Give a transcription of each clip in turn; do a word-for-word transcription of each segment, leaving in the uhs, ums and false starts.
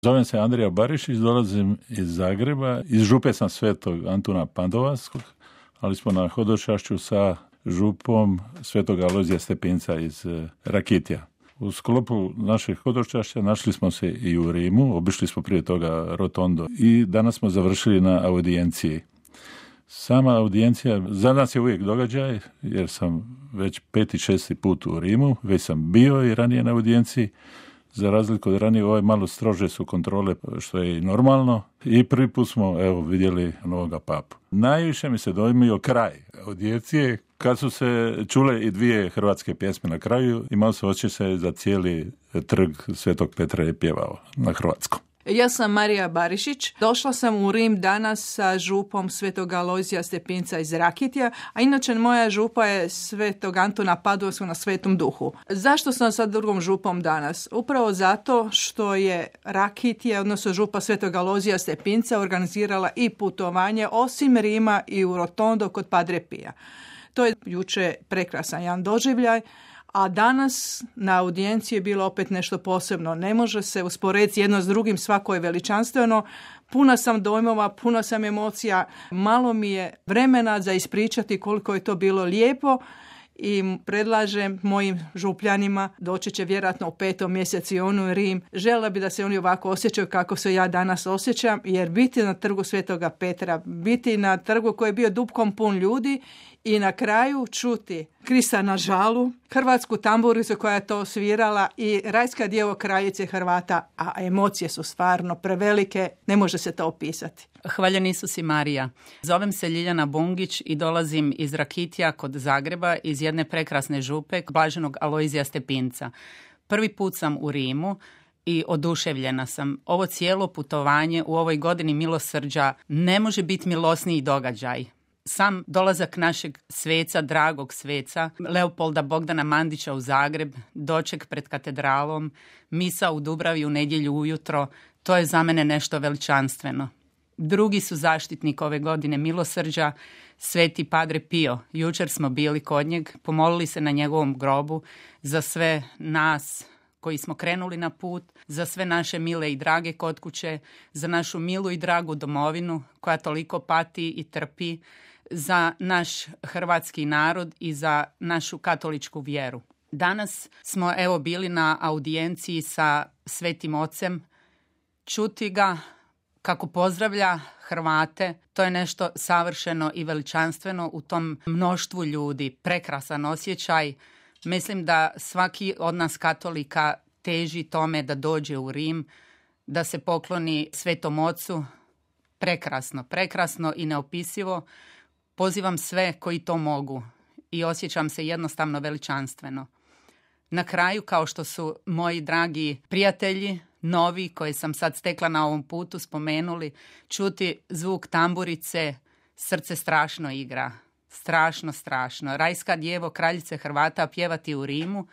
Zovem se Andrija Barišić, dolazim iz Zagreba. Iz župe sam Svetog Antuna Padovanskog, ali smo na hodočašću sa župom Svetog Alojzija Stepinca iz Rakitja. U sklopu našeg hodočašća našli smo se i u Rimu, obišli smo prije toga Rotondo i danas smo završili na audijenciji. Sama audijencija za nas je uvijek događaj, jer sam već peti, šesti put u Rimu, već sam bio i ranije na audijenciji. Za razliku od ranije, ovaj malo strože su kontrole, što je i normalno. I prvi put smo, evo, vidjeli novoga papu. Najviše mi se dojmio kraj audijencije, kad su se čule i dvije hrvatske pjesme na kraju, imao se osjećaj za cijeli trg Svetog Petra je pjevao na hrvatskom. Ja sam Marija Barišić. Došla sam u Rim danas sa župom Svetog Alojzija Stepinca iz Rakitja, a inače moja župa je Svetog Antuna Padovanskog na Svetom Duhu. Zašto sam sa drugom župom danas? Upravo zato što je Rakitje, odnosno župa Svetog Alojzija Stepinca, organizirala i putovanje osim Rima i u Rotondo kod Padre Pija. To je juče prekrasan jedan doživljaj. A danas na audijenciji je bilo opet nešto posebno. Ne može se usporediti jedno s drugim, svako je veličanstveno. Puna sam dojmova, puna sam emocija. Malo mi je vremena za ispričati koliko je to bilo lijepo i predlažem mojim župljanima, doći će vjerojatno u petom mjesecu i onu Rim. Željela bi da se oni ovako osjećaju kako se ja danas osjećam, jer biti na trgu Svetoga Petra, biti na trgu koji je bio dupkom pun ljudi i na kraju čuti Krista na žalu, hrvatsku tamburicu koja je to svirala i Rajska djevo kraljice Hrvata, a emocije su stvarno prevelike, ne može se to opisati. Hvaljen Isus i Marija. Zovem se Ljiljana Bungić i dolazim iz Rakitja kod Zagreba, iz jedne prekrasne župe Blaženog Alojzija Stepinca. Prvi put sam u Rimu i oduševljena sam. Ovo cijelo putovanje u ovoj godini milosrđa ne može biti milosniji događaj. Sam dolazak našeg sveca, dragog sveca, Leopolda Bogdana Mandića u Zagreb, doček pred katedralom, misa u Dubravi u nedjelju ujutro, to je za mene nešto veličanstveno. Drugi su zaštitnik ove godine milosrđa, Sveti Padre Pio. Jučer smo bili kod njeg, pomolili se na njegovom grobu za sve nas koji smo krenuli na put, za sve naše mile i drage kod kuće, za našu milu i dragu domovinu koja toliko pati i trpi, za naš hrvatski narod i za našu katoličku vjeru. Danas smo evo bili na audijenciji sa Svetim Ocem. Čuti ga kako pozdravlja Hrvate, to je nešto savršeno i veličanstveno u tom mnoštvu ljudi. Prekrasan osjećaj. Mislim da svaki od nas katolika teži tome da dođe u Rim, da se pokloni Svetom Ocu. Prekrasno, prekrasno i neopisivo. Pozivam sve koji to mogu i osjećam se jednostavno veličanstveno. Na kraju, kao što su moji dragi prijatelji, novi, koje sam sad stekla na ovom putu, spomenuli, čuti zvuk tamburice, srce strašno igra. Strašno, strašno. Rajska djevo kraljice Hrvata pjevati u Rimu,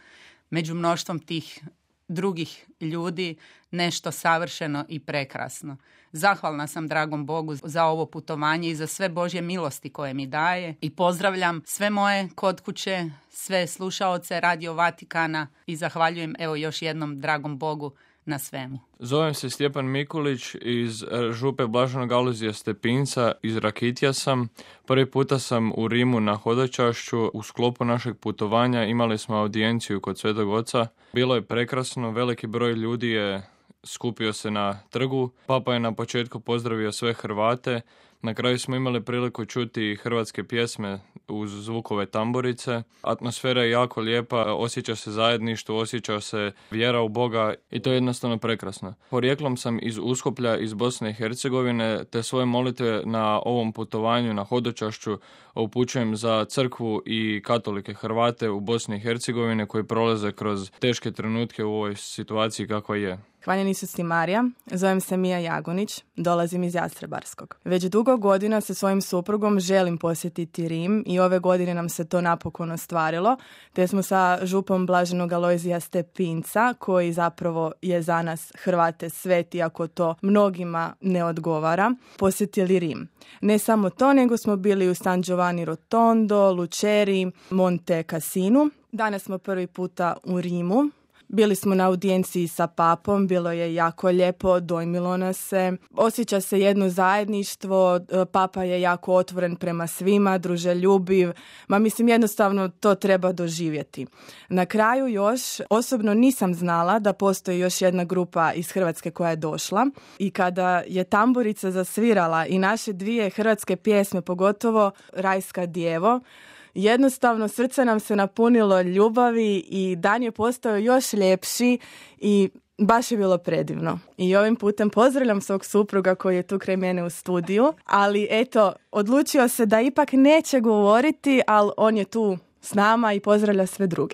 među mnoštvom tih drugih ljudi, nešto savršeno i prekrasno. Zahvalna sam dragom Bogu za ovo putovanje i za sve Božje milosti koje mi daje i pozdravljam sve moje kod kuće, sve slušaoce Radio Vatikana i zahvaljujem evo još jednom dragom Bogu na svemu. Zovem se Stjepan Mikulić iz župe Blaženog Alojzija Stepinca, iz Rakitja sam. Prvi puta sam u Rimu na hodočašću. U sklopu našeg putovanja imali smo audijenciju kod Svetog Oca. Bilo je prekrasno, veliki broj ljudi je skupio se na trgu. Papa je na početku pozdravio sve Hrvate. Na kraju smo imali priliku čuti hrvatske pjesme uz zvukove tamburice. Atmosfera je jako lijepa, osjeća se zajedništvo, osjeća se vjera u Boga i to je jednostavno prekrasno. Porijeklom sam iz Uskoplja, iz Bosne i Hercegovine, te svoje molitve na ovom putovanju na hodočašću upućujem za crkvu i katolike Hrvate u Bosni i Hercegovine koji prolaze kroz teške trenutke u ovoj situaciji kakva je. Hvaljen Isus i Marija, zovem se Mija Jagonić, dolazim iz Jastrebarskog. Već dugo godina sa svojim suprugom želim posjetiti Rim i ove godine nam se to napokon ostvarilo, te smo sa župom Blaženog Alojzija Stepinca, koji zapravo je za nas Hrvate sveti, ako to mnogima ne odgovara, posjetili Rim. Ne samo to, nego smo bili u San Giovanni Rotondo, Luceri, Monte Cassinu. Danas smo prvi puta u Rimu. Bili smo na audijenciji sa papom, bilo je jako lijepo, dojmilo nas se. Osjeća se jedno zajedništvo, papa je jako otvoren prema svima, druželjubiv. Ma mislim, jednostavno to treba doživjeti. Na kraju još, osobno nisam znala da postoji još jedna grupa iz Hrvatske koja je došla i kada je tamburica zasvirala i naše dvije hrvatske pjesme, pogotovo Rajska djevo, jednostavno srce nam se napunilo ljubavi i dan je postao još ljepši i baš je bilo predivno. I ovim putem pozdravljam svog supruga koji je tu kraj mene u studiju, ali eto, odlučio se da ipak neće govoriti, ali on je tu s nama i pozdravlja sve druge.